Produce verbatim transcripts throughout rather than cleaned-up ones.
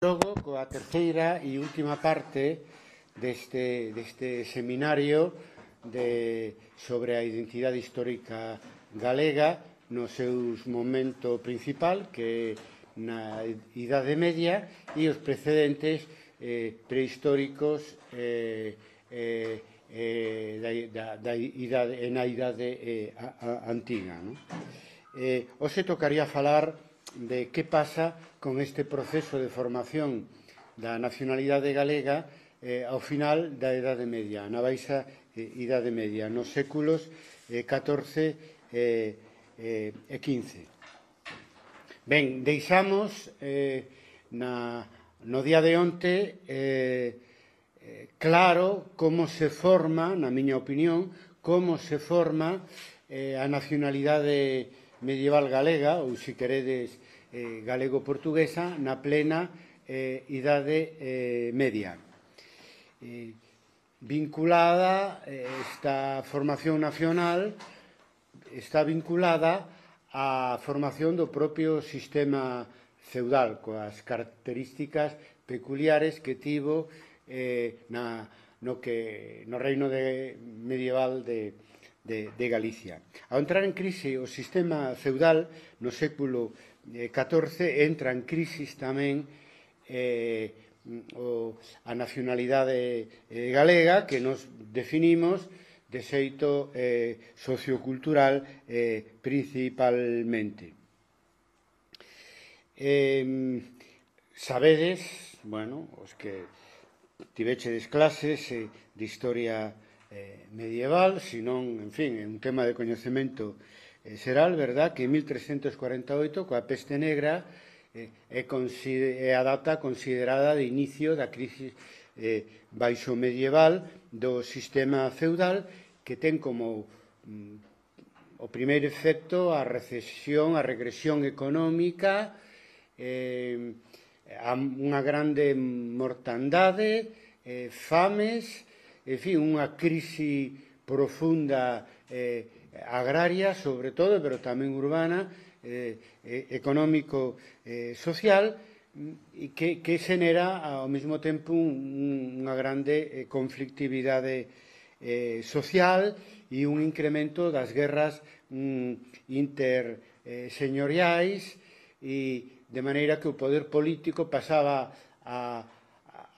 Logo, coa terceira e última parte deste, deste seminario de, sobre a identidade histórica galega no seu momento principal, que na Idade Media, e os precedentes eh, prehistóricos eh, eh, eh, da, da, da idade, na Idade eh, a, a, antiga. No? Eh, hoxe tocaría falar de que pasa con este proceso de formación da nacionalidade galega eh, ao final da Idade Media, na baixa eh, Idade Media, nos séculos eh, catorce eh, eh, e quince. Ben, deixamos eh, na, no día de onte eh, eh, claro como se forma, na miña opinión, como se forma eh, a nacionalidade medieval galega, ou se queredes eh, galego-portuguesa, na plena eh, Idade eh, Media. Eh, vinculada, eh, esta formación nacional está vinculada á formación do propio sistema feudal, coas características peculiares que tivo eh, na, no, que, no reino de, medieval de De, de Galicia. Ao entrar en crise o sistema feudal no século catorce entra en crisis tamén eh, o, a nacionalidade eh, galega que nos definimos de xeito eh, sociocultural eh, principalmente. Eh, sabedes, bueno, os que tivechedes clases eh, de historia Eh, medieval, senón, en fin, é un tema de coñecemento eh, xeral, verdad, que en mil trescentos cuarenta e oito, coa peste negra, eh, é, é a data considerada de inicio da crisis eh, baixo medieval do sistema feudal, que ten como mm, o primeiro efecto a recesión, a regresión económica, eh, a unha grande mortandade, eh, fames, en fin, unha crise profunda eh, agraria, sobre todo, pero tamén urbana, eh, económico, eh, social, e que, que xenera ao mesmo tempo un, unha grande eh, conflictividade eh, social e un incremento das guerras mm, interseñoriais, e de maneira que o poder político pasaba a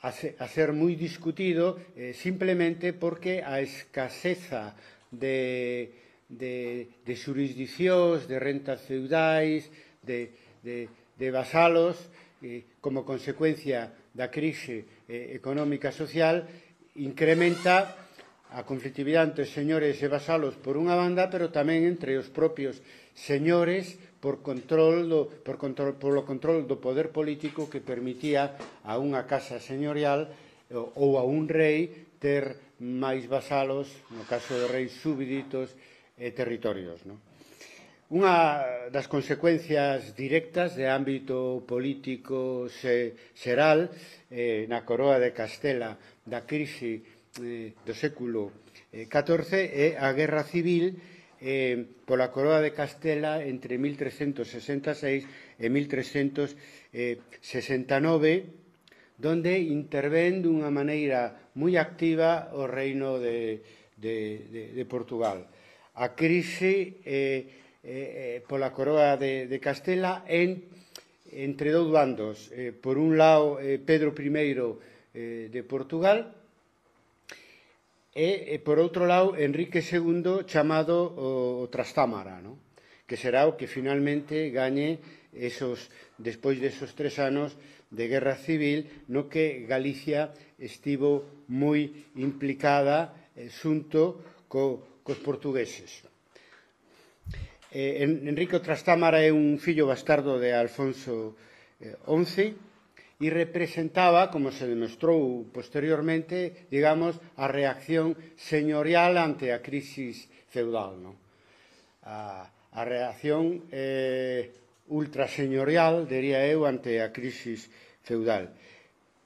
a ser moi discutido eh, simplemente porque a escaseza de, de, de xurisdicións, de rentas feudais, de, de, de vasalos, eh, como consecuencia da crise eh, económica social, incrementa a conflictividade entre señores e vasalos por unha banda, pero tamén entre os propios señores por control do, por control, polo control do poder político que permitía a unha casa señorial ou a un rei ter máis vasalos, no caso de reis súbditos e territorios. No? Unha das consecuencias directas de ámbito político xeral eh, na coroa de Castela da crise eh, do século catorce é a guerra civil Eh, pola coroa de Castela entre mil trescentos sesenta e seis e mil trescentos sesenta e nove, donde intervén dunha maneira moi activa o reino de, de, de, de Portugal. A crise eh, eh, pola coroa de, de Castela en, entre dous bandos. Eh, por un lado, eh, Pedro primeiro eh, de Portugal, e, por outro lado, Enrique segundo, chamado o, o Trastámara, no? Que será o que finalmente gañe esos, despois desos tres anos de guerra civil, no que Galicia estivo moi implicada eh, xunto co, cos portugueses. Eh, Enrique Trastámara é un fillo bastardo de Alfonso eh, once, e representaba, como se demostrou posteriormente, digamos, a reacción señorial ante a crisis feudal. No? A, a reacción eh, ultraseñorial, diría eu, ante a crisis feudal.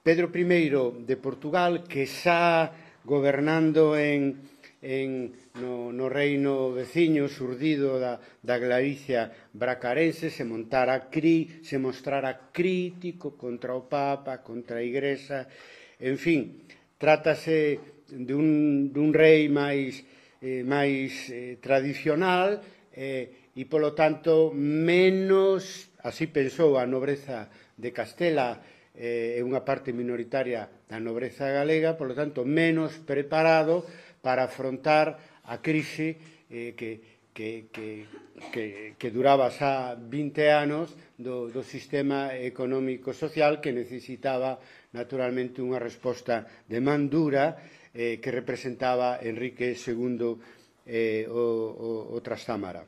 Pedro primeiro de Portugal, que xa gobernando en, en, no, no reino veciño surdido da, da Galicia bracarense se montara cri, se mostrara crítico contra o Papa, contra a Igrexa, en fin, trátase dun, dun rei máis, eh, máis eh, tradicional eh, e, polo tanto, menos, así pensou a nobreza de Castela, é eh, unha parte minoritaria da nobreza galega, polo tanto, menos preparado para afrontar a crise eh, que, que, que, que, que duraba xa vinte anos do, do sistema económico-social que necesitaba naturalmente unha resposta de man dura eh, que representaba Enrique segundo eh, o, o, o Trastámara.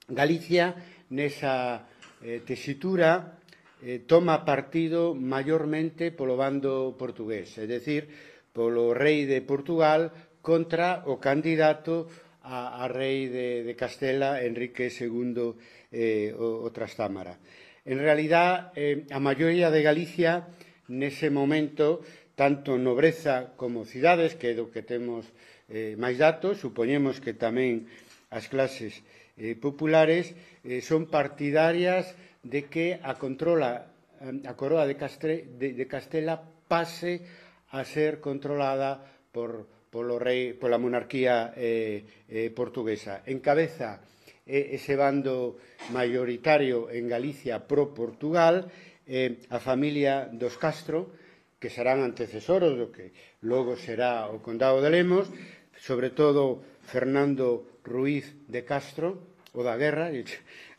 Galicia, nesa eh, tesitura, eh, toma partido maiormente polo bando portugués, é dicir, polo rei de Portugal contra o candidato a, a rei de, de Castela, Enrique segundo eh, o, o Trastámara. En realidad, eh, a maioría de Galicia, nese momento, tanto nobreza como cidades, que é do que temos eh, máis datos, supoñemos que tamén as clases eh, populares eh, son partidarias de que a controla a coroa de, Castre, de, de Castela pase a ser controlada por, polo rei, pola monarquía eh, eh, portuguesa. Encabeza eh, ese bando maioritario en Galicia pro Portugal eh, a familia dos Castro, que serán antecesoros do que logo será o condado de Lemos, sobre todo Fernando Ruiz de Castro, o da guerra,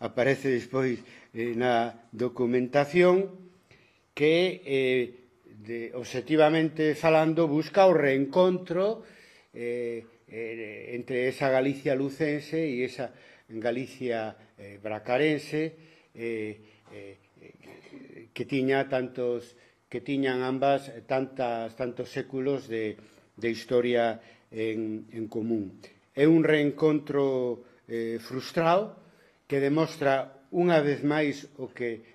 aparece despois eh, na documentación, que, eh, de, objetivamente falando, busca o reencontro eh, eh, entre esa Galicia lucense e esa Galicia eh, bracarense eh, eh, que tiña tantos que tiñan ambas tantas, tantos séculos de, de historia en, en común. É un reencontro eh, frustrado que demostra unha vez máis o que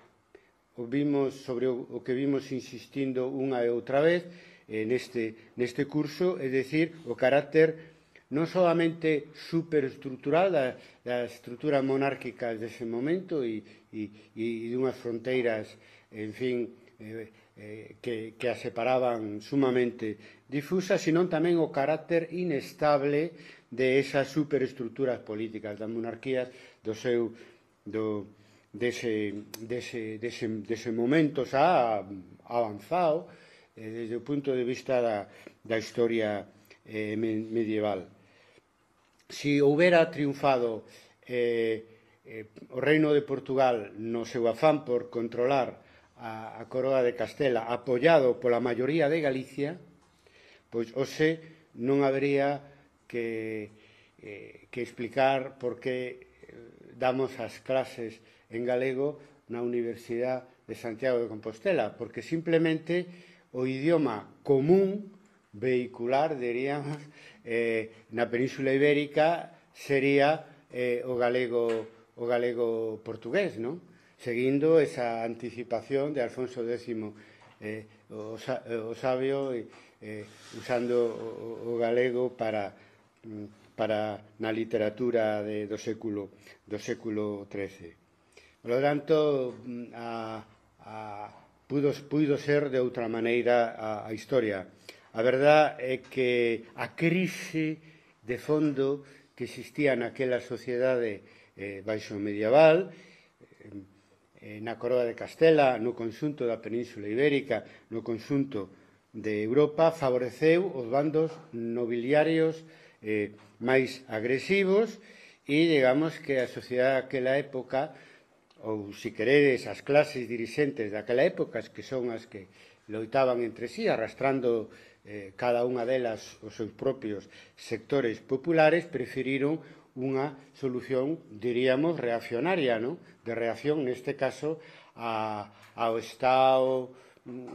o vimos sobre o, o que vimos insistindo unha e outra vez eh, neste, neste curso, é dicir, o carácter non solamente superestructural da, da estrutura monárquica dese momento e, e, e dunhas fronteiras, en fin, eh, eh, que, que a separaban sumamente difusas, sino tamén o carácter inestable de esas superestructuras políticas, das monarquías do seu do, dese, dese, dese, dese momento xa avanzado eh, desde o punto de vista da, da historia eh, medieval. Si houbera triunfado eh, eh, o reino de Portugal no seu afán por controlar a, a coroa de Castela, apoiado pola maioría de Galicia, pois hoxe non habería que, eh, que explicar por que damos as clases en galego na Universidade de Santiago de Compostela, porque simplemente o idioma común, vehicular, diríamos, eh, na Península Ibérica sería eh, o galego o galego portugués, non? Seguindo esa anticipación de Alfonso décimo eh, o, o sabio eh, usando o, o galego para para na literatura de, do século do século trece. Por lo tanto, a, a, pudo, pudo ser de outra maneira a, a historia. A verdade é que a crise de fondo que existía naquela sociedade eh, baixo medieval, eh, na coroa de Castela, no conxunto da Península Ibérica, no conxunto de Europa, favoreceu os bandos nobiliarios eh, máis agresivos e, digamos, que a sociedade daquela época, ou, se queredes, as clases dirixentes daquela época, que son as que loitaban entre sí, arrastrando eh, cada unha delas os seus propios sectores populares, preferiron unha solución, diríamos, reaccionaria, ¿no? De reacción, neste caso, a, ao Estado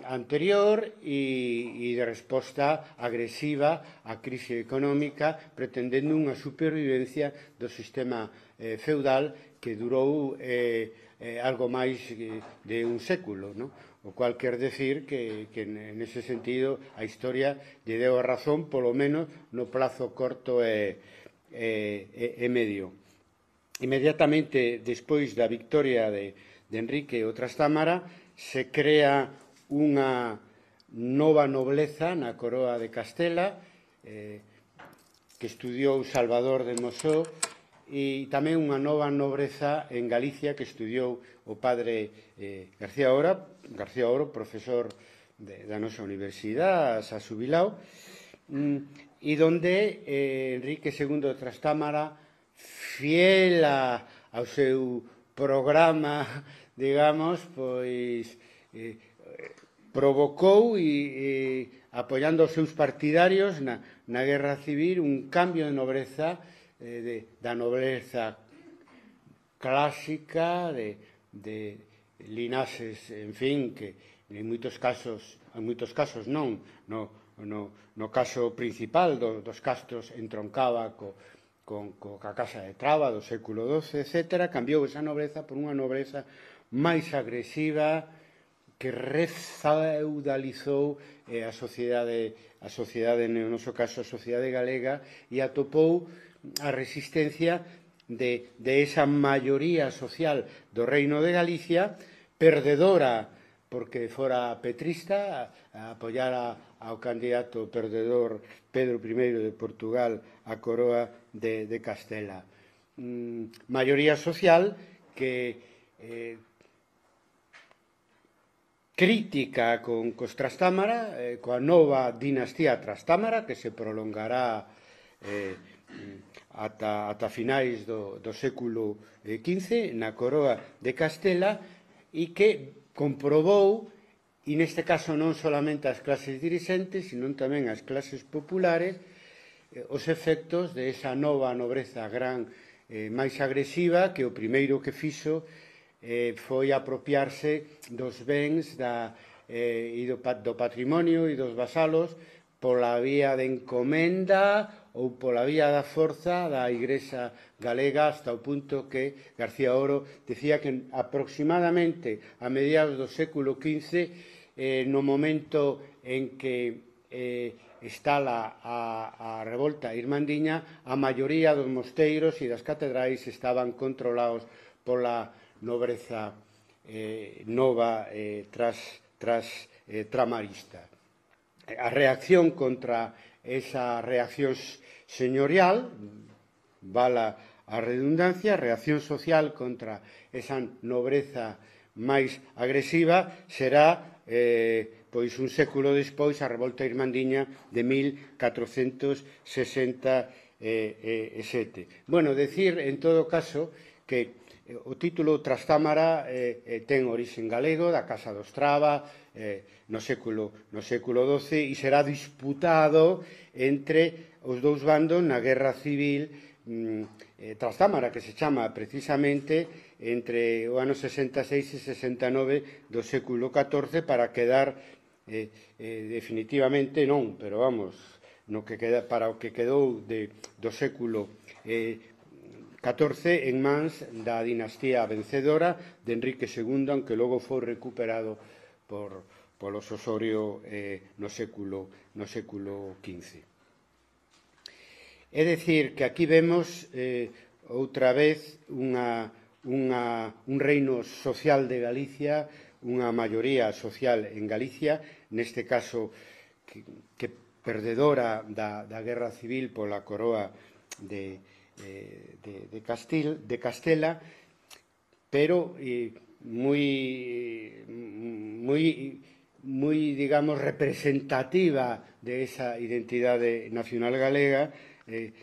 anterior e, e de resposta agresiva á crise económica, pretendendo unha supervivencia do sistema eh, feudal que durou eh, eh, algo máis de un século, ¿no? o cual quer decir que, que nese sentido a historia lle deu a razón, polo menos no plazo corto e, e, e medio. Inmediatamente despois da victoria de, de Enrique o Trastámara se crea unha nova nobleza na coroa de Castela, eh, que estudiou Salvador de Mosó, e tamén unha nova nobreza en Galicia que estudiou o padre eh, García Oro, García Oro, profesor de, da nosa universidade, a Subilao, mm, e donde eh, Enrique segundo de Trastámara, fiel a, ao seu programa, digamos, pois eh, provocou e, e apoiando os seus partidarios na, na guerra civil un cambio de nobreza, eh, de, da nobreza clásica, de, de linaxes, en fin, que en moitos casos, en moitos casos non, no, no, no caso principal do, dos castros entroncaba co, con, co, ca casa de Traba do século doce, etcétera, cambiou esa nobreza por unha nobreza máis agresiva, que refeudalizou eh, a sociedade, a sociedade, no noso caso, a sociedade galega, e atopou a resistencia de, de esa maioría social do Reino de Galicia, perdedora, porque fora petrista, a, a apoiar a, ao candidato perdedor Pedro primeiro de Portugal a coroa de, de Castela. Mm, maioría social que eh, crítica con cos Trastámara, eh, coa nova dinastía Trastámara, que se prolongará eh, ata, ata finais do, do século quince na coroa de Castela, e que comprobou, e neste caso non solamente as clases dirixentes, sino tamén as clases populares, eh, os efectos de esa nova nobreza gran eh, máis agresiva, que o primeiro que fixo Eh, foi apropiarse dos bens da, eh, e do, do patrimonio e dos vasalos pola vía de encomenda ou pola vía da forza da Igrexa galega, hasta o punto que García Oro decía que aproximadamente a mediados do século quince, eh, no momento en que eh, estala a, a revolta irmandiña, a maioría dos mosteiros e das catedrais estaban controlados pola nobreza eh, nova eh, tras, tras eh, tramarista. A reacción contra esa reacción señorial, vala a redundancia, a reacción social contra esa nobreza máis agresiva será eh, pois un século despois a revolta irmandiña de mil catrocentos sesenta e sete. Bueno, decir en todo caso que o título Trastámara eh, eh, ten origen galego, da Casa dos Traba, eh, no século no século doce, e será disputado entre os dous bandos na Guerra Civil mm, eh, Trastámara, que se chama precisamente entre o ano sesenta e seis e sesenta e nove do século catorce, para quedar eh, eh, definitivamente non, pero vamos, no que queda, para o que quedou de, do século eh, catorce en mans da dinastía vencedora de Enrique segundo, aunque logo foi recuperado por, polos Osorio eh, no século no século quince. É dicir, que aquí vemos eh, outra vez unha, unha, un reino social de Galicia, unha maioría social en Galicia, neste caso que, que perdedora da, da guerra civil pola coroa de De, de, de, Castil, de Castela, pero eh, muy, muy, muy, digamos, representativa de esa identidade nacional galega, eh,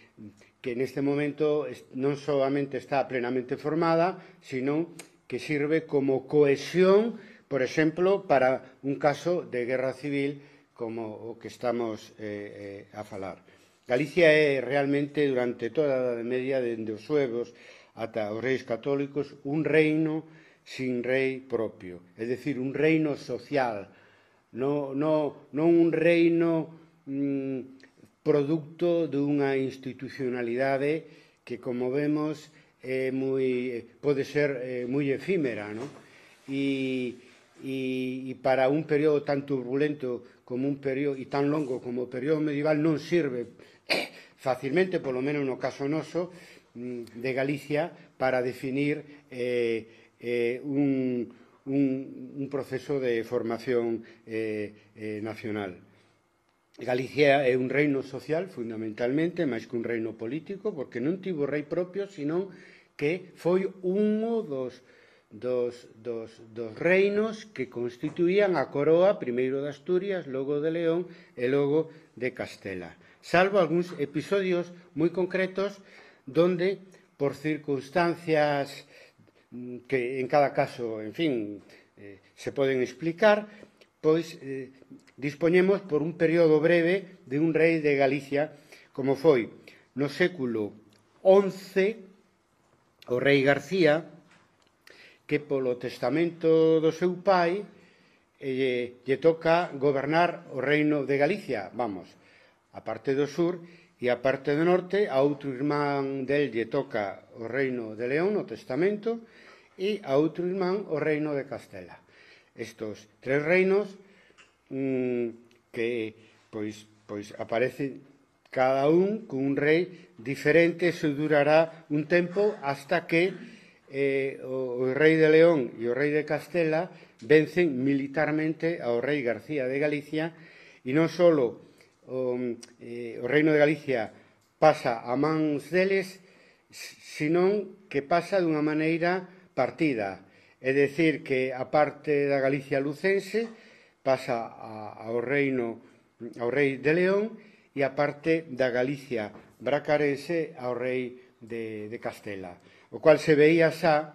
que neste momento non solamente está plenamente formada, sino que sirve como cohesión, por exemplo, para un caso de guerra civil como o que estamos eh, eh, a falar. Galicia é realmente, durante toda a Idade Media, dende os suevos ata os reis católicos, un reino sin rei propio, é dicir, un reino social, non, non, non un reino mm, producto dunha institucionalidade que, como vemos, é moi, pode ser eh, moi efímera, non? E, e, e para un período tan turbulento como un período e tan longo como o período medieval non sirve facilmente, polo menos no caso noso, de Galicia, para definir eh, eh, un, un, un proceso de formación eh, eh, nacional. Galicia é un reino social, fundamentalmente, máis que un reino político, porque non tivo rei propio, senón que foi un dos Dos, dos, dos reinos que constituían a coroa, primeiro de Asturias, logo de León e logo de Castela. Salvo algúns episodios moi concretos donde, por circunstancias que en cada caso, en fin, eh, se poden explicar, pois eh, dispoñemos por un período breve de un rei de Galicia, como foi no século once, o rei García, que polo testamento do seu pai eh, lle toca gobernar o reino de Galicia, vamos, a parte do sur e a parte do norte, a outro irmán del lle toca o reino de León no testamento e a outro irmán o reino de Castela. Estos tres reinos mmm, que pois, pois aparecen cada un con un rei diferente, se durará un tempo hasta que Eh, o, o rei de León e o rei de Castela vencen militarmente ao rei García de Galicia e non só o, eh, o reino de Galicia pasa a mans deles, senón que pasa dunha maneira partida. É dicir, que a parte da Galicia lucense pasa a, ao reino ao rei de León e a parte da Galicia bracarense ao rei de, de Castela. O cual se veía xa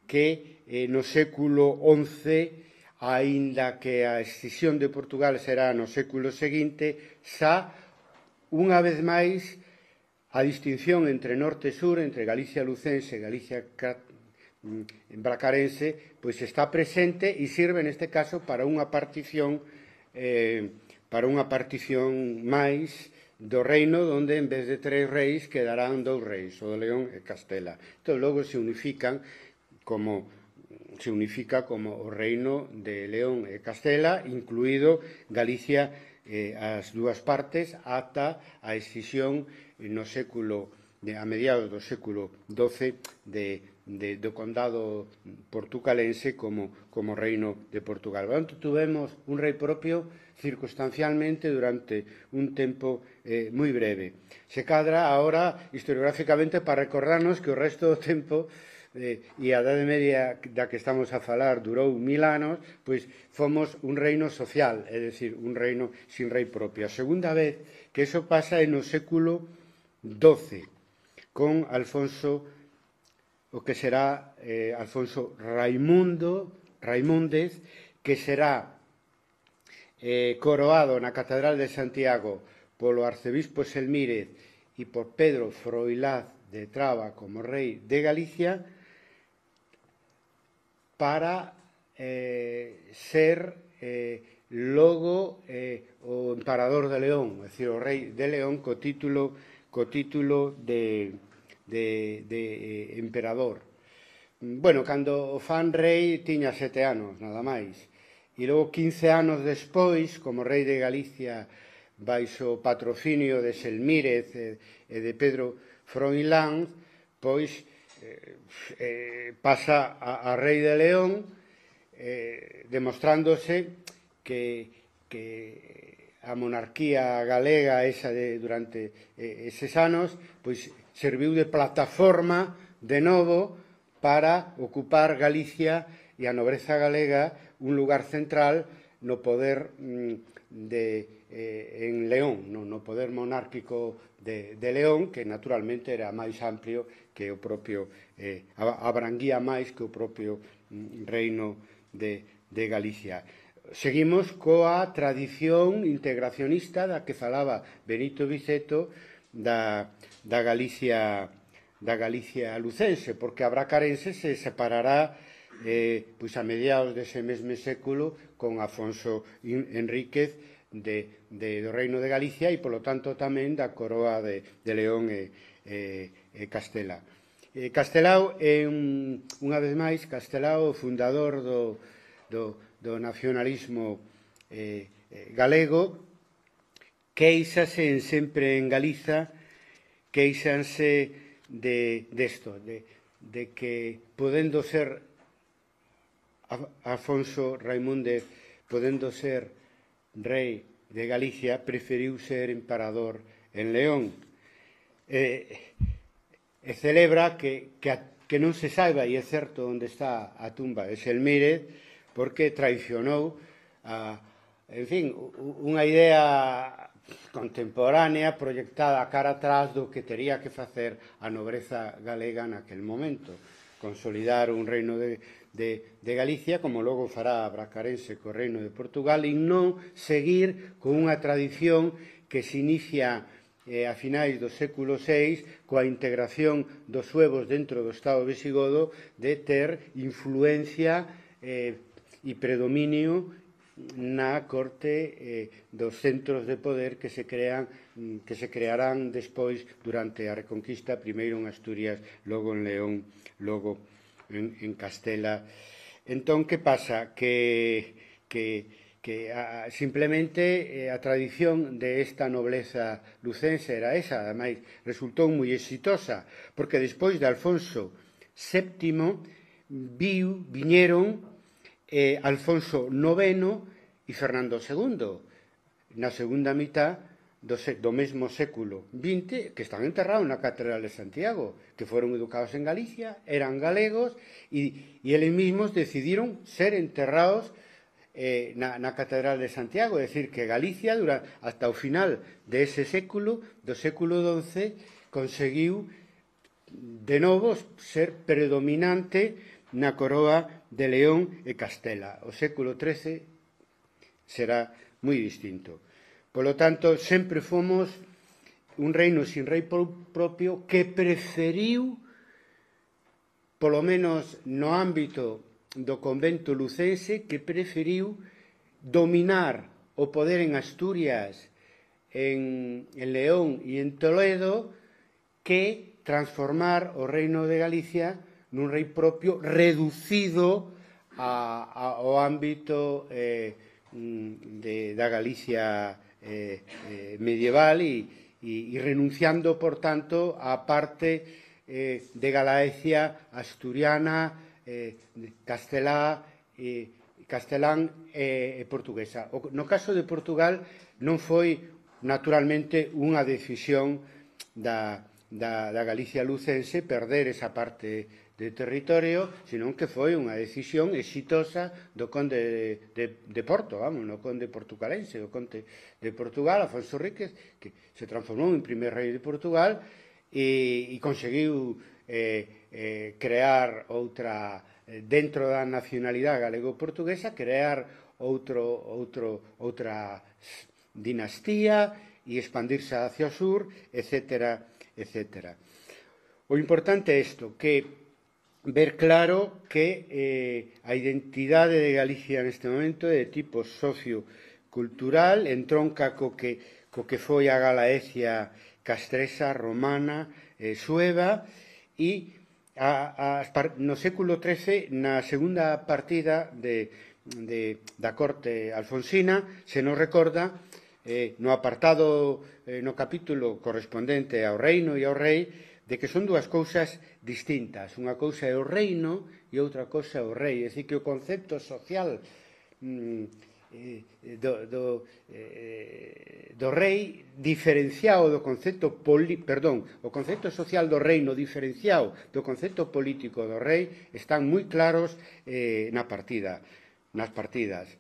que eh, no século once, aínda que a escisión de Portugal será no século seguinte, xa, unha vez máis, a distinción entre norte e sur, entre Galicia lucense e Galicia bracarense, pois está presente e sirve neste caso para unha partición eh, para unha partición máis do reino, onde en vez de tres reis quedarán dous reis, o de León e Castela. Entón, logo se unifican como se unifica como o reino de León e Castela, incluído Galicia, eh, as dúas partes, ata a escisión no século, de, a mediados do século doce, de, de, do condado portucalense como, como reino de Portugal. Portanto, tuvemos un rei propio circunstancialmente durante un tempo eh, moi breve. Se cadra agora historiográficamente para recordarnos que o resto do tempo eh, e a Idade Media da que estamos a falar durou mil anos, pois fomos un reino social, é dicir, un reino sin rei propio. A segunda vez que eso pasa é no século doce, con Alfonso, o que será eh, Alfonso Raimundo, Raimúndez, que será Eh, coroado na Catedral de Santiago polo arcebispo Selmírez e por Pedro Froilaz de Traba como rei de Galicia, para eh, ser eh, logo eh, o emperador de León, é dicir, o rei de León co título, co título de, de, de eh, emperador. Bueno, cando o fan rei tiña sete anos, nada máis. E logo, quince anos despois, como rei de Galicia, baixo o patrocinio de Selmírez e de Pedro Froilán, pois eh, eh, pasa a, a rei de León, eh, demostrándose que, que a monarquía galega esa de, durante eh, eses anos pois serviu de plataforma de novo para ocupar Galicia e a nobreza galega un lugar central no poder de, eh, en León, no, no poder monárquico de, de León, que naturalmente era máis amplio que o propio, eh, abranguía máis que o propio mm, reino de, de Galicia. Seguimos coa tradición integracionista da que falaba Benito Viceto da, da Galicia da Galicia lucense, porque a bracarense se separará eh, pois a mediados dese mesmo século con Afonso Enríquez de, de, do Reino de Galicia e, polo tanto, tamén da coroa de, de León e, e, e Castela. Eh, Castelao é, un, unha vez máis, Castelao, fundador do, do, do nacionalismo eh, eh, galego, queixase sempre en Galiza, queixanse de desto, de, de que podendo ser Afonso Raimúndez, podendo ser rei de Galicia, preferiu ser emperador en León. E, e celebra que, que, a, que non se saiba, e é certo, onde está a tumba de Selmírez, porque traicionou a, en fin, unha idea contemporánea proyectada cara atrás do que tería que facer a nobreza galega naquel momento, consolidar un reino de, de, de Galicia, como logo fará a Bracarense co reino de Portugal, e non seguir con unha tradición que se inicia eh, a finais do século seis coa integración dos suevos dentro do Estado visigodo, de ter influencia eh, e predominio na corte eh, dos centros de poder que se crean que se crearán despois durante a Reconquista, primeiro en Asturias, logo en León, logo en, en Castela. Entón, que pasa? Que, que, que a, simplemente eh, a tradición de esta nobleza lucense era esa, ademais resultou moi exitosa, porque despois de Alfonso séptimo viu, viñeron eh, Alfonso noveno e Fernando segundo, na segunda mitad do, do mesmo século vinte, que están enterrados na Catedral de Santiago, que foron educados en Galicia, eran galegos, e, e eles mismos decidiron ser enterrados eh, na, na Catedral de Santiago, é dicir, que Galicia, durante, hasta o final de ese século, do século doce, conseguiu de novo ser predominante na coroa de León e Castela. O século trece será moi distinto. Polo tanto, sempre fomos un reino sin rei propio que preferiu, polo menos no ámbito do convento lucense, que preferiu dominar o poder en Asturias, en, en León e en Toledo, que transformar o reino de Galicia nun rei propio reducido a, a, ao ámbito eh, de, da Galicia eh, eh, medieval e, e, e renunciando, por tanto, á parte eh, de Galaecia asturiana, eh, castelá, eh, castelán e eh, portuguesa. O, no caso de Portugal non foi naturalmente unha decisión da, da, da Galicia lucense perder esa parte de territorio, senón que foi unha decisión exitosa do conde de, de, de Porto, vamos, no conde portucalense, o conde de Portugal, Afonso Ríquez, que se transformou en primer rei de Portugal e, e conseguiu eh, eh, crear outra, dentro da nacionalidade galego-portuguesa, crear outro, outro, outra dinastía e expandirse hacia o sur, etcétera, etcétera. O importante é isto, que ver claro que eh, a identidade de Galicia neste momento é de tipo sociocultural, entronca co que, co que foi a Galaecia castresa, romana, eh, sueva, e a, a, no século trece, na segunda partida de, de, da corte alfonsina, se nos recorda, eh, no apartado, eh, no capítulo correspondente ao reino e ao rei, de que son dúas cousas distintas. Unha cousa é o reino e outra cousa é o rei. É dicir, que o concepto social mm, eh, do, do, eh, do rei diferenciado do concepto poli, perdón, o concepto social do reino diferenciado do concepto político do rei están moi claros eh, na partida, nas partidas.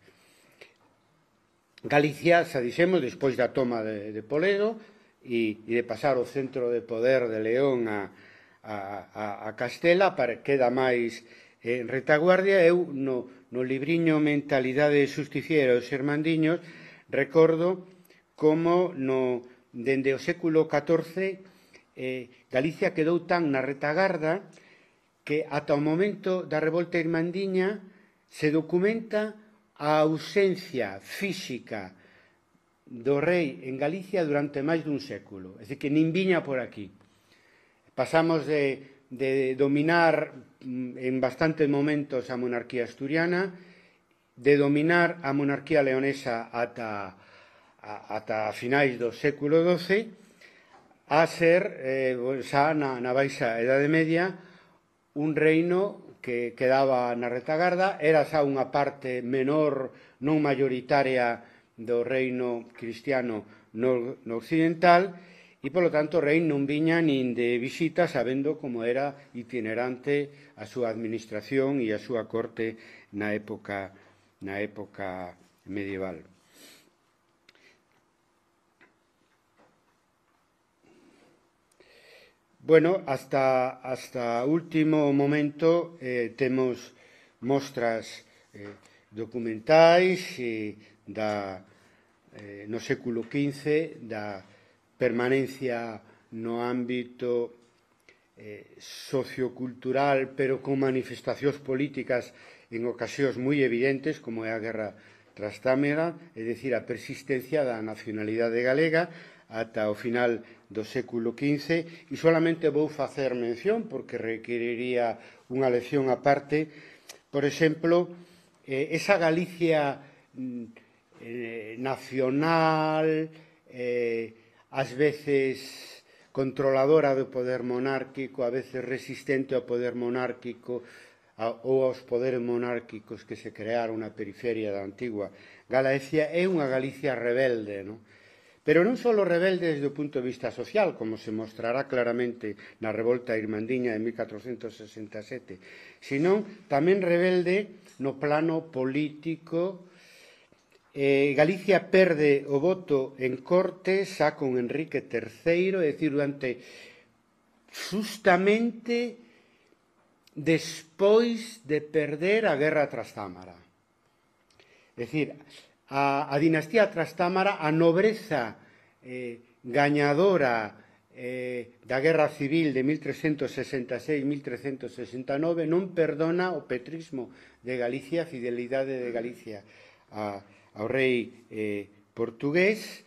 Galicia, xa dixemos, despois da toma de, de Poledo, e, e de pasar o centro de poder de León a, a, a Castela, para queda máis en retaguardia. Eu, no, no libriño Mentalidade Justiciera dos Irmandiños, recordo como no, dende o século catorce eh, Galicia quedou tan na retagarda que ata o momento da revolta irmandiña se documenta a ausencia física do rei en Galicia durante máis dun século. É dicir, que nin viña por aquí. Pasamos de, de dominar en bastantes momentos a monarquía asturiana, de dominar a monarquía leonesa ata, a, ata finais do século doce a ser, eh, xa na, na baixa Edade Media, un reino que quedaba na retagarda, era xa unha parte menor, non mayoritaria, do reino cristiano no, no occidental, e, polo tanto, o rei non viña nin de visita sabendo como era itinerante a súa administración e a súa corte na época, na época medieval. Bueno, hasta, hasta último momento eh, temos mostras eh, documentais eh, da, eh, no século quince da permanencia no ámbito eh, sociocultural, pero con manifestacións políticas en ocasións moi evidentes, como é a Guerra Trastámara, é dicir, a persistencia da nacionalidade galega ata o final do século quince, e solamente vou facer mención, porque requeriría unha lección aparte, por exemplo, eh, esa Galicia eh, nacional, eh, ás veces controladora do poder monárquico, a veces resistente ao poder monárquico a, ou aos poderes monárquicos que se crearon na periferia da antigua Galicia, é unha Galicia rebelde, non? Pero non só rebelde desde o punto de vista social, como se mostrará claramente na revolta irmandiña de mil catrocentos sesenta e sete, sino tamén rebelde no plano político. Eh, Galicia perde o voto en Cortes xa con Enrique terceiro, é dicir, durante justamente despois de perder a Guerra Trastámara. É dicir, a, a dinastía Trastámara, a nobreza eh, gañadora eh, da Guerra Civil de mil trescentos sesenta e seis a mil trescentos sesenta e nove non perdona o petrismo de Galicia, a fidelidade de Galicia a, ao rei eh, portugués,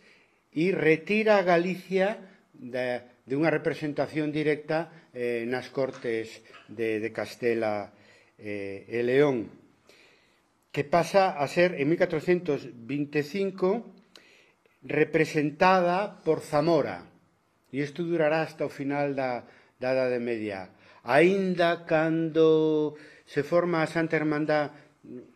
e retira a Galicia de, de unha representación directa eh, nas Cortes de, de Castela eh, e León, que pasa a ser, en mil catrocentos vinte e cinco, representada por Zamora. E isto durará hasta o final da, da Edade Media. Aínda cando se forma a Santa Hermandad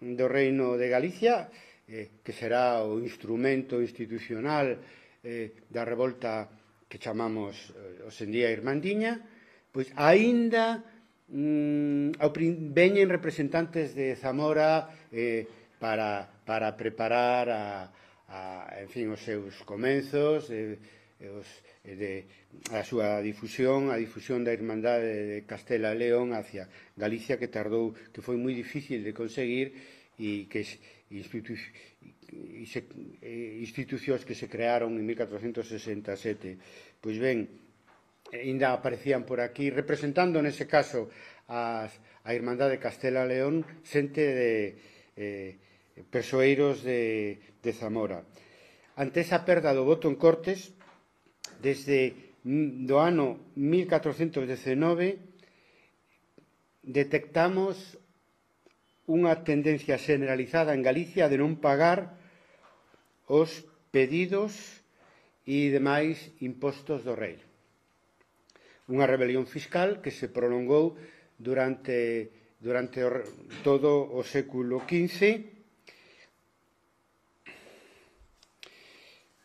do Reino de Galicia, eh, que será o instrumento institucional eh, da revolta que chamamos eh, hoxendía Irmandiña, pois aínda veñen representantes de Zamora eh, para, para preparar a, a, en fin, os seus comenzos, eh, os, de, a súa difusión, a difusión da Irmandade de Castela e León hacia Galicia, que tardou, que foi moi difícil de conseguir, e que institu, e se, institucións que se crearon en mil catrocentos sesenta e sete. Pois ben, ainda aparecían por aquí, representando nese caso as, a Irmandade de Castela e León, xente de eh, persoeiros de, de Zamora. Ante esa perda do voto en Cortes, desde do ano mil catrocentos dezenove, detectamos unha tendencia generalizada en Galicia de non pagar os pedidos e demais impostos do rei. Unha rebelión fiscal que se prolongou durante, durante o, todo o século quince.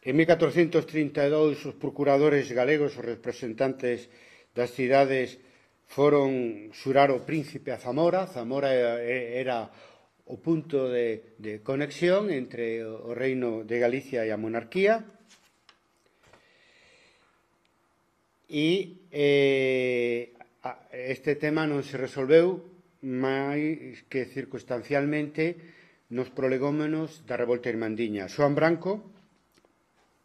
En mil catrocentos trinta e dous, os procuradores galegos, os representantes das cidades, foron xurar o príncipe a Zamora. Zamora era o punto de, de conexión entre o reino de Galicia e a monarquía. E eh, este tema non se resolveu máis que circunstancialmente nos prolegómenos da revolta irmandiña. Xoán Branco,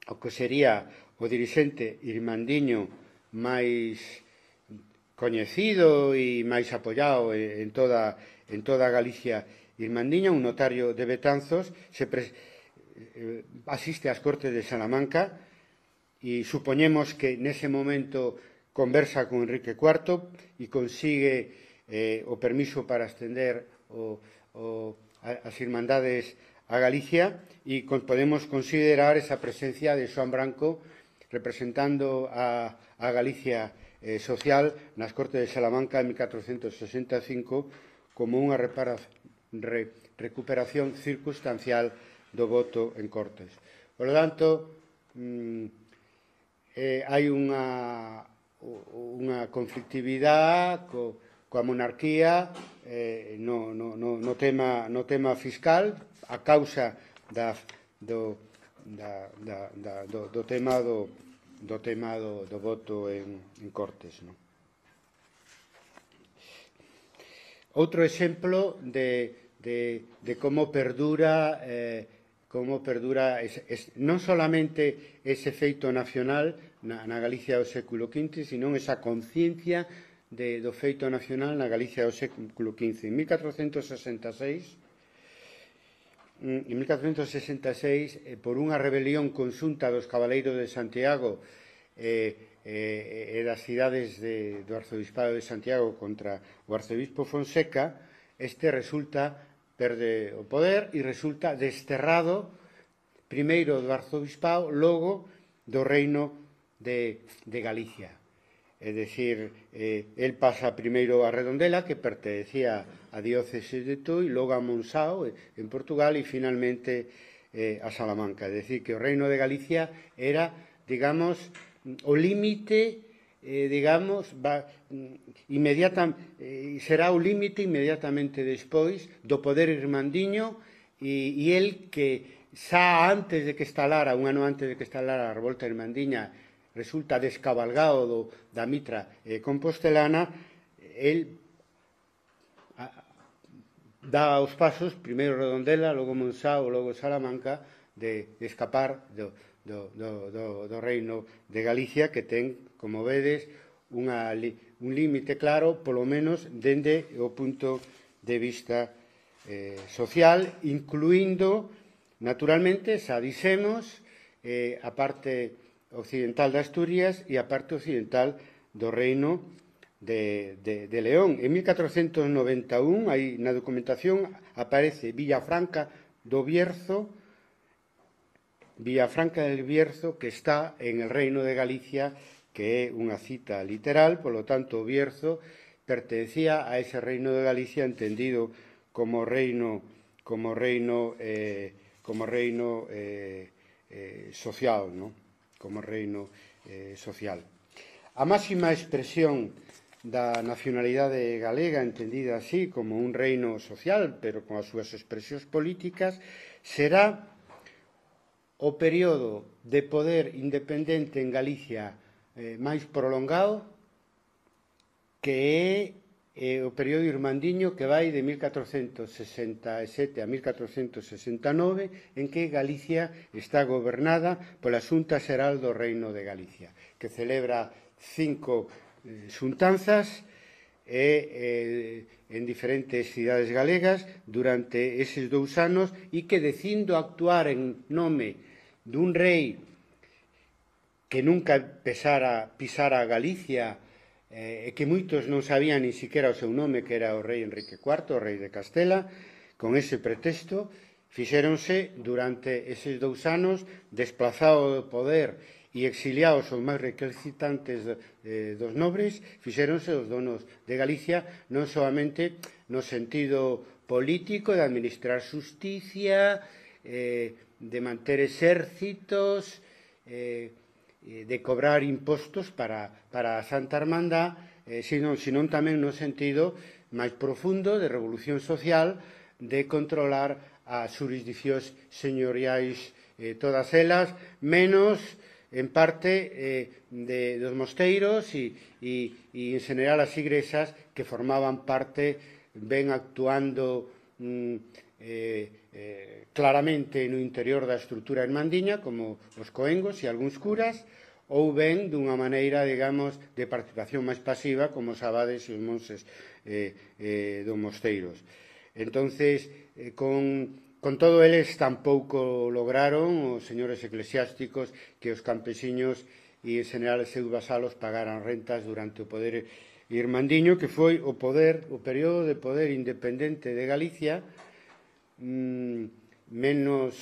o que sería o dirixente irmandiño máis coñecido e máis apoiado en toda, en toda a Galicia irmandiña, un notario de Betanzos, se pre, eh, asiste ás Cortes de Salamanca, e supoñemos que nese momento conversa con Enrique cuarto e consigue eh, o permiso para estender o, o, as Irmandades a Galicia e podemos considerar esa presencia de Xoán Branco representando a, a Galicia eh, social nas Cortes de Salamanca en mil catrocentos sesenta e cinco como unha repara, re, recuperación circunstancial do voto en Cortes. Por lo tanto, mm, eh, hai unha, unha conflictividade co, coa monarquía eh, no, no, no, no, tema, no tema fiscal a causa da, do, da, da, da, do, do tema do, do tema do, do voto en, en Cortes. No? Outro exemplo de, de, de como perdura eh, como perdura es, es, non solamente ese feito nacional na, na Galicia do século quince, sino esa conciencia de, do feito nacional na Galicia do século quince. En mil catrocentos sesenta e seis, en mil catrocentos sesenta e seis eh, por unha rebelión conxunta dos cabaleiros de Santiago e eh, eh, das cidades de, do arzobispado de Santiago contra o arcebispo Fonseca, este resulta perde o poder e resulta desterrado primeiro do arzobispado, logo do reino de, de Galicia. É dicir, eh, el pasa primeiro a Redondela, que pertenecía a diócesis de Tui, logo a Monsao, en Portugal, e finalmente eh, a Salamanca. É dicir, que o reino de Galicia era, digamos, o límite, eh, digamos, va, inmediata, eh, será o límite inmediatamente despois do poder irmandiño e, e el que xa antes de que estalara, un ano antes de que estalara a revolta irmandiña, resulta descabalgado do, da mitra eh, compostelana, el a, dá os pasos, primeiro Redondela, logo Monsao, logo Salamanca, de, de escapar do, do, do, do, do reino de Galicia, que ten, como vedes, unha, un límite claro, polo menos, dende o punto de vista eh, social, incluindo, naturalmente, xa dixemos, eh, a parte occidental de Asturias e a parte occidental do reino de, de, de León. En mil catrocentos noventa e un, aí na documentación, aparece Villafranca do Bierzo, Villafranca del Bierzo, que está en el reino de Galicia, que é unha cita literal, polo tanto, o Bierzo pertenecía a ese reino de Galicia entendido como reino, como reino, eh, como reino eh, eh, social, ¿no? Como reino eh, social. A máxima expresión da nacionalidade galega, entendida así como un reino social, pero con as súas expresións políticas, será o período de poder independente en Galicia eh, máis prolongado, que é eh, o período irmandiño que vai de mil catrocentos sesenta e sete a mil catrocentos sesenta e nove, en que Galicia está gobernada pola Xunta Xeral do Reino de Galicia, que celebra cinco eh, xuntanzas e, eh, en diferentes cidades galegas durante eses dous anos, e que, decindo actuar en nome dun rei que nunca pisara, pisara a Galicia, e eh, que moitos non sabían ni siquiera o seu nome, que era o rei Enrique cuarto, o rei de Castela. Con ese pretexto fixéronse durante eses dous anos, desplazado do poder e exiliados os máis recalcitrantes eh, dos nobres, fixéronse os donos de Galicia, non solamente no sentido político de administrar justicia, eh, de manter exércitos, eh, de cobrar impostos para, para a Santa Hermandad, eh, sino, sino tamén no sentido máis profundo de revolución social, de controlar as jurisdiccións señoriais, eh, todas elas, menos, en parte, eh, de, dos mosteiros e, e, e, en general, as igrexas que formaban parte, ven actuando mm, eh, eh, claramente no interior da estrutura irmandiña, como os coengos e algúns curas, ou ben dunha maneira, digamos, de participación máis pasiva, como os abades e os monses eh, eh, dos mosteiros. Entonces, eh, con, con todo eles tampouco lograron os señores eclesiásticos que os campesiños e, en general, os seus vasalos pagaran rentas durante o poder irmandiño, que foi o poder, o período de poder independente de Galicia, mm, menos,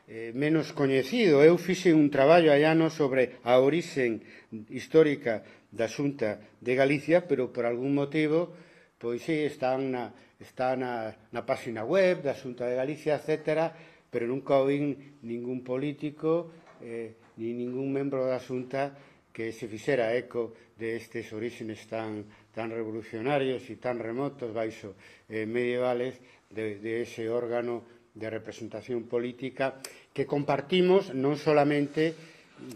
eh, menos coñecido. Eu fixe un traballo hai anos sobre a orixen histórica da Xunta de Galicia, pero por algún motivo, pois sí, están na, está na, na página web da Xunta de Galicia, etcétera, pero nunca oín ningún político eh, ni ningún membro da Xunta que se fixera eco de estes orígenes tan, tan revolucionarios e tan remotos baixo eh, medievales de, de ese órgano de representación política que compartimos non solamente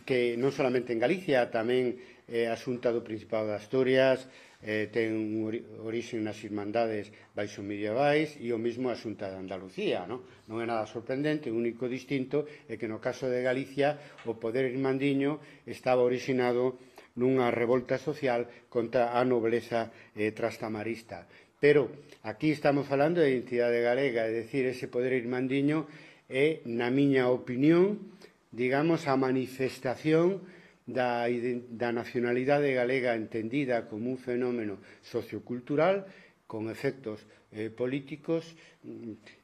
que non solamente en Galicia, tamén eh, a Xunta do Principado de Asturias eh, ten un orixe nas irmandades baixo medievais e o mesmo a Xunta de Andalucía, non? Non é nada sorprendente, o único distinto é que no caso de Galicia o poder irmandiño estaba orixinado nunha revolta social contra a nobleza eh, trastamarista. Pero aquí estamos falando de identidade galega, é dicir, ese poder irmandiño é, na miña opinión, digamos, a manifestación da, da nacionalidade galega entendida como un fenómeno sociocultural con efectos eh, políticos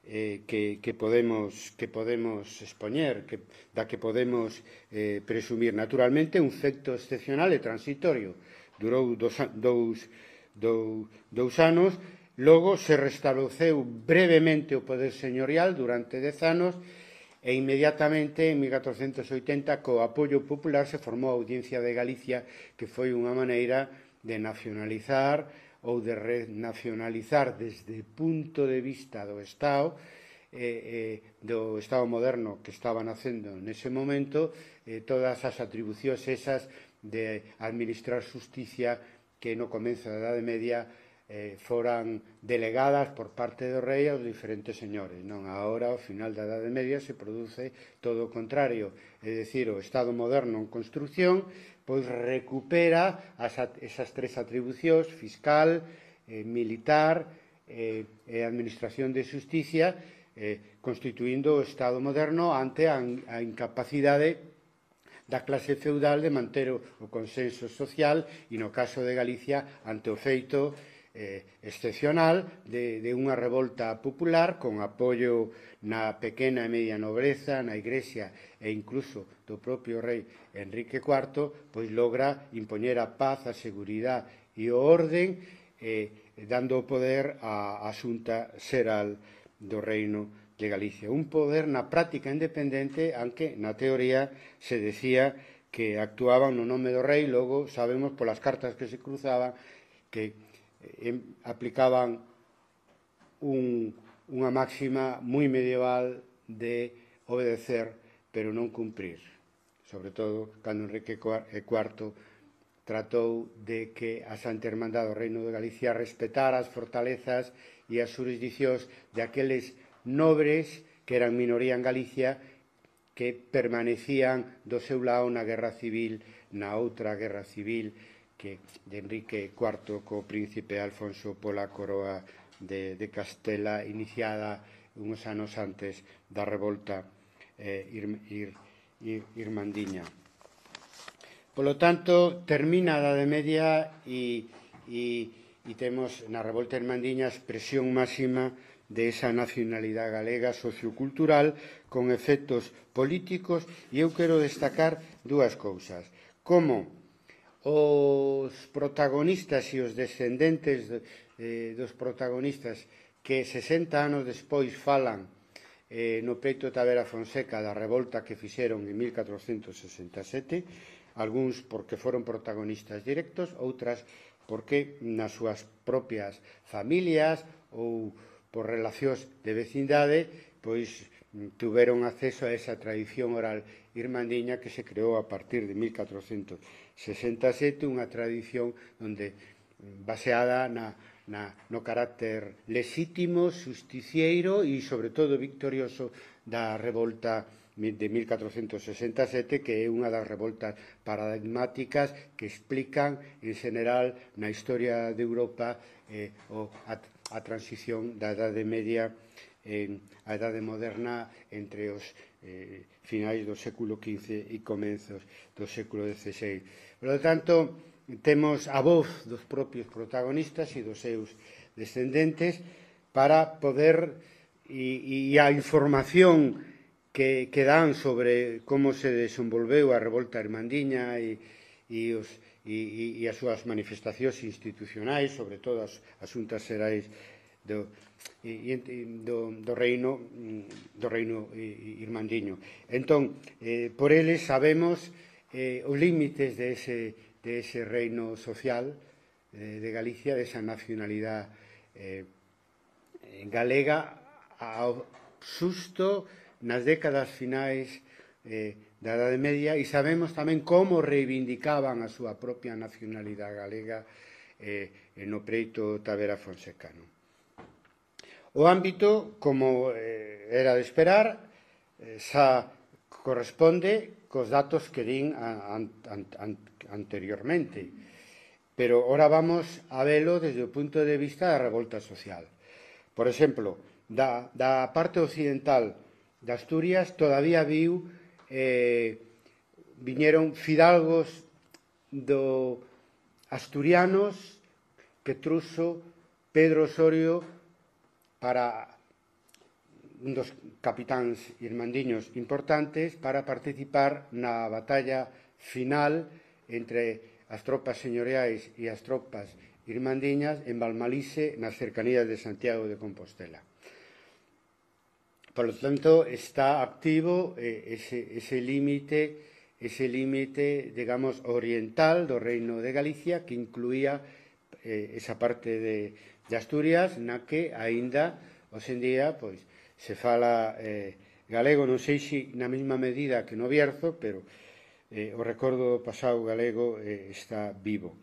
eh, que, que, podemos, que podemos expoñer, que, da que podemos eh, presumir. Naturalmente, un efecto excepcional e transitorio. Durou dos, dous, dous, dous anos, logo se restableceu brevemente o poder señorial durante dez anos e inmediatamente, en mil catrocentos oitenta, co apoio popular, se formou a Audiencia de Galicia, que foi unha maneira de nacionalizar ou de renacionalizar desde o punto de vista do Estado, eh, eh, do Estado moderno que estaba nacendo nese momento, eh, todas as atribucións esas de administrar justicia que no comezo da Idade Media eh, foran delegadas por parte do rei aos diferentes señores. Non, agora, ao final da Idade Media, se produce todo o contrario. É dicir, o Estado moderno en construcción pois recupera as, esas tres atribucións, fiscal, eh, militar eh, e administración de justicia, eh, constituindo o Estado moderno ante a, a incapacidade da clase feudal de manter o, o consenso social e, no caso de Galicia, ante o feito eh, excepcional de, de unha revolta popular con apoio na pequena e media nobreza, na Igrexa e incluso do propio rei Enrique cuarto, pois logra impoñer a paz, a seguridade e o orden, eh, dando o poder á, á Xunta Xeral do Reino de Galicia. Un poder na práctica independente, aunque na teoría se decía que actuaban no nome do rei, logo sabemos polas cartas que se cruzaban que eh, aplicaban un, unha máxima moi medieval de obedecer pero non cumprir. Sobre todo, cando Enrique cuarto tratou de que a Santa Hermandade do Reino de Galicia respetara as fortalezas e as jurisdiccións de aqueles nobres que eran minoría en Galicia que permanecían do seu lado na Guerra Civil, na outra Guerra Civil que de Enrique cuarto co príncipe Alfonso pola coroa de, de Castela, iniciada uns anos antes da revolta eh, ir, ir, ir, irmandiña. Polo tanto, termina a Idade Media e, e, e temos na revolta irmandiña a expresión máxima de esa nacionalidade galega sociocultural con efectos políticos, e eu quero destacar dúas cousas. Como os protagonistas e os descendentes eh, dos protagonistas que sesenta anos despois falan eh, no peito de Tavera Fonseca da revolta que fixeron en mil catrocentos sesenta e sete, algúns porque foron protagonistas directos, outras porque nas súas propias familias ou por relacións de vecindade, pois tuveron acceso a esa tradición oral irmandiña que se creou a partir de mil catrocentos sesenta e sete, unha tradición onde baseada na, na, no carácter lexítimo, justicieiro e, sobre todo, victorioso da revolta de mil catrocentos sesenta e sete, que é unha das revoltas paradigmáticas que explican, en general, na historia de Europa eh, o, a, a transición da Idade Media en a Idade Moderna entre os eh, finais do século quince e comenzos do século dieciséis. Por lo tanto, temos a voz dos propios protagonistas e dos seus descendentes para poder e, e a información que, que dan sobre como se desenvolveu a revolta irmandiña e, e, os, e, e as súas manifestacións institucionais, sobre todo as, as xuntas xerais do, e, do, do reino do reino irmandiño. Entón, eh, por eles sabemos eh, os límites de ese, de ese reino social eh, de Galicia, de esa nacionalidade eh, galega ao susto nas décadas finais eh, da Idade Media, e sabemos tamén como reivindicaban a súa propia nacionalidade galega eh, no preito Tavera Fonsecano. O ámbito, como eh, era de esperar, eh, xa corresponde cos datos que din an, an, an, anteriormente, pero ora vamos a velo desde o punto de vista da revolta social. Por exemplo, da, da parte occidental de Asturias todavía viu eh, viñeron fidalgos do asturianos que truxo Pedro Osorio para un dos capitáns irmandiños importantes para participar na batalla final entre as tropas señoriais e as tropas irmandiñas en Valmalise, nas cercanías de Santiago de Compostela. Por lo tanto, está activo eh, ese, ese límite, ese límite, digamos, oriental do Reino de Galicia, que incluía eh, esa parte de, de Asturias, na que aínda, hoxe en día, pois, se fala eh, galego, non sei se na mesma medida que no Bierzo, pero eh, o recordo do pasado galego eh, está vivo.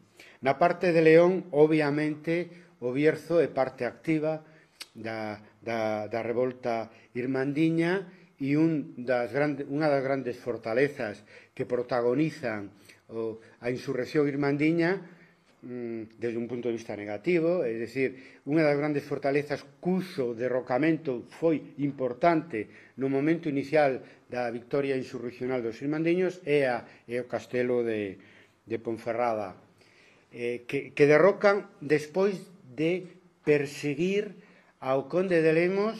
Na parte de León, obviamente, o Bierzo é parte activa da, da, da revolta irmandiña e un das grande, unha das grandes fortalezas que protagonizan o, a insurrección irmandiña mm, desde un punto de vista negativo, é dicir, unha das grandes fortalezas cuxo derrocamento foi importante no momento inicial da victoria insurreccional dos irmandiños é, a, é o castelo de, de Ponferrada, eh, que, que derrocan despois de perseguir ao conde de Lemos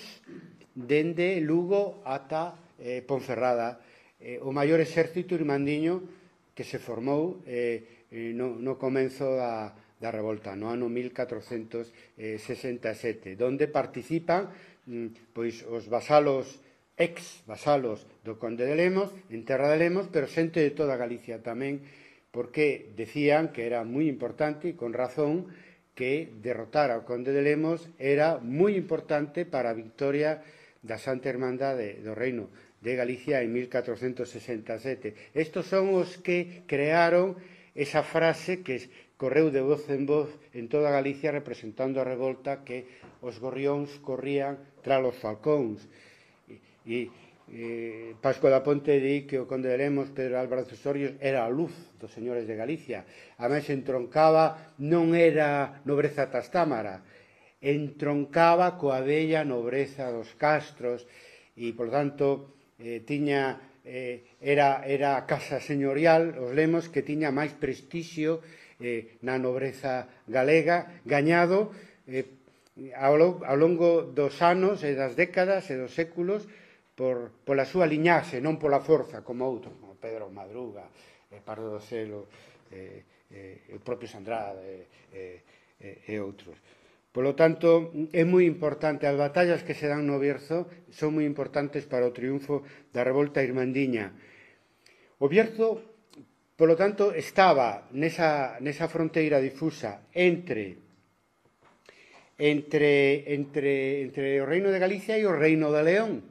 dende Lugo ata eh, Ponferrada, eh, o maior exército irmandiño que se formou eh, no, no comenzo da, da revolta, no ano mil catrocentos sesenta e sete, donde participan mm, pois os vasalos, ex-vasalos do conde de Lemos, en terra de Lemos, pero xente de toda Galicia tamén, porque decían que era moi importante, e con razón, que derrotar ao conde de Lemos era moi importante para a victoria da Santa Hermandade do Reino de Galicia en mil catrocentos sesenta e sete. Estos son os que crearon esa frase que correu de voz en voz en toda Galicia representando a revolta, que os gorrións corrían tras os falcóns. E, e Pasco da Ponte di que o conde de Lemos, Pedro Álvarez Osorio, era a luz dos señores de Galicia. A máis entroncaba, non era nobreza tastámara, entroncaba coa bella nobreza dos castros e, por tanto, eh, tiña, eh, era, era a casa señorial, os Lemos, que tiña máis prestixio eh, na nobreza galega, gañado eh, ao, ao longo dos anos e das décadas e dos séculos por, pola súa liñaxe, non pola forza, como outros, como Pedro Madruga, eh, Pardo do Celo, eh, eh, o propio Sandrade eh, eh, e outros. Por lo tanto, é moi importante, as batallas que se dan no Bierzo son moi importantes para o triunfo da revolta irmandiña. O Bierzo, por lo tanto, estaba nesa, nesa fronteira difusa entre, entre, entre, entre o Reino de Galicia e o Reino de León,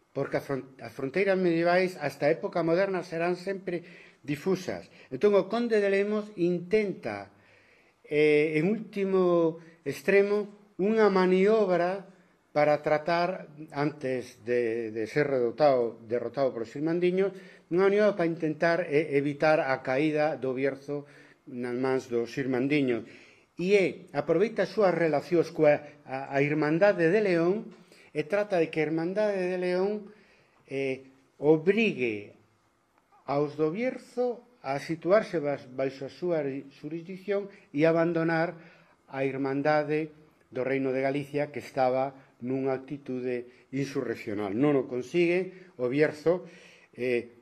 porque as fronteiras medievais hasta a época moderna serán sempre difusas. Entón, o conde de Lemos intenta, eh, en último extremo, unha maniobra para tratar, antes de, de ser derrotado, derrotado por os irmandiños, unha maniobra para intentar eh, evitar a caída do Bierzo nas mans dos irmandiños. E é, aproveita as súas relacións coa a, a Irmandade de León e trata de que a Irmandade de León eh, obrigue aos do Bierzo a situarse baixo a súa jurisdicción e abandonar a Irmandade do Reino de Galicia, que estaba nunha actitude insurreccional. Non o consigue, o Bierzo, eh,